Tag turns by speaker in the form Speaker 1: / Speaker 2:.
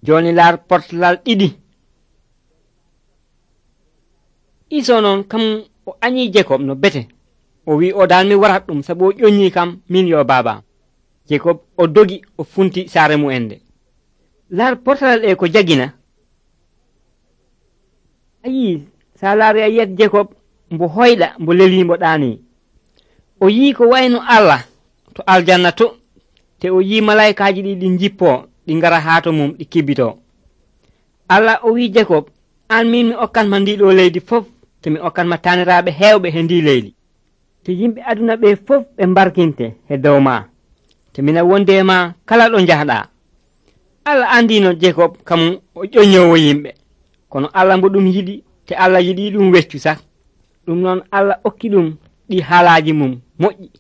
Speaker 1: joni laar portalal ɗiɗi. Iso noon kam o añi Jekob no bete, o wi o dal mi warat ɗum sabu o ƴoññi kam min yo baba. Jekob o dogi o funti saare mu'en nde. Laar portalal ɗe ko jagina. Ayi sa laari a yiyat Jekob mbo hoyɗa mbo lelimbo ɗaani. O yi ko wayno Allah to aljanna to, te o yi malaikaji ɗi jippo ɗi ngara haato mum ɗi kibbito. Allah o wi Jekob, an min mi okkanma ndi ɗo leydi fof, te mi okkanma taniraɓe hewɓe he ndi leydi, te yimɓe aduna ɓe fof ɓe mbarkinte he dow ma, te mina wonde ma kala ɗo jahɗa. Allah andino Jekob kam o ƴoññowo yimɓe, kono Allah mbo ɗum yiɗi, te Allah yiɗi ɗum weccu sak. ɗum noon Allah okki ɗum ɗi haalaji mum moƴƴi.